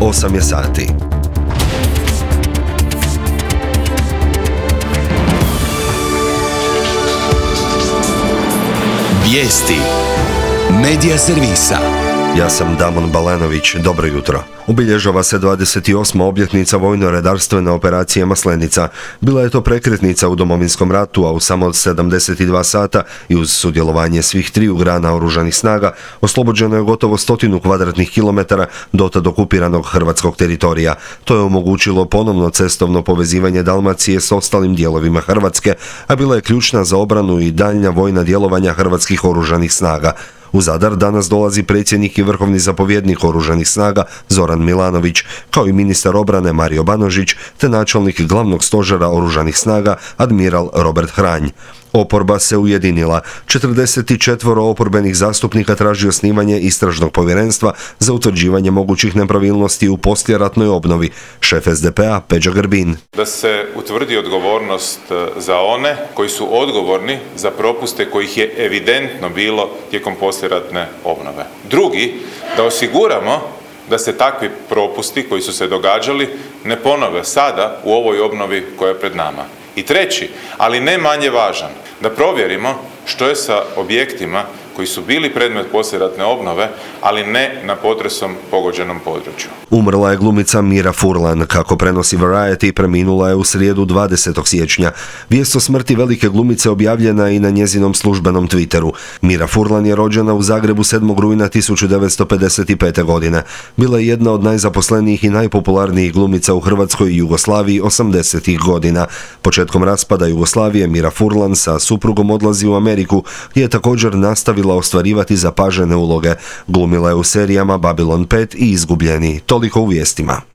8 je sati. Vijesti Medija servisa. Ja sam Damon Balanović, dobro jutro. Obilježava se 28. obljetnica vojno-redarstvene operacije Maslenica. Bila je to prekretnica u Domovinskom ratu, a u samo 72 sata i uz sudjelovanje svih triju grana oružanih snaga oslobođeno je gotovo 100 kvadratnih kilometara dotad okupiranog hrvatskog teritorija. To je omogućilo ponovno cestovno povezivanje Dalmacije s ostalim dijelovima Hrvatske, a bila je ključna za obranu i daljnja vojna djelovanja hrvatskih oružanih snaga. U Zadar danas dolazi predsjednik i vrhovni zapovjednik oružanih snaga Zoran Milanović, kao i ministar obrane Mario Banožić, te načelnik glavnog stožera oružanih snaga admiral Robert Hranj. Oporba se ujedinila. 44 oporbenih zastupnika traži osnivanje istražnog povjerenstva za utvrđivanje mogućih nepravilnosti u poslijeratnoj obnovi. Šef SDP-a Peđa Grbin. Da se utvrdi odgovornost za one koji su odgovorni za propuste kojih je evidentno bilo tijekom poslijeratne obnove. Drugi, da osiguramo da se takvi propusti koji su se događali ne ponove sada u ovoj obnovi koja je pred nama. I treći, ali ne manje važan, da provjerimo što je sa objektima koji su bili predmet poslijeratne obnove, ali ne na potresom pogođenom području. Umrla je glumica Mira Furlan, kako prenosi Variety, preminula je u srijedu 20. siječnja. Vijest o smrti velike glumice objavljena je i na njezinom službenom Twitteru. Mira Furlan je rođena u Zagrebu 7. rujna 1955. godine. Bila je jedna od najzaposlenijih i najpopularnijih glumica u Hrvatskoj i Jugoslaviji 80. godina. Početkom raspada Jugoslavije Mira Furlan sa suprugom odlazi u Ameriku, gdje je također nastavila ostvarivati zapažene uloge. Glumila je u serijama Babylon 5 i Izgubljeni. Toliko u vijestima.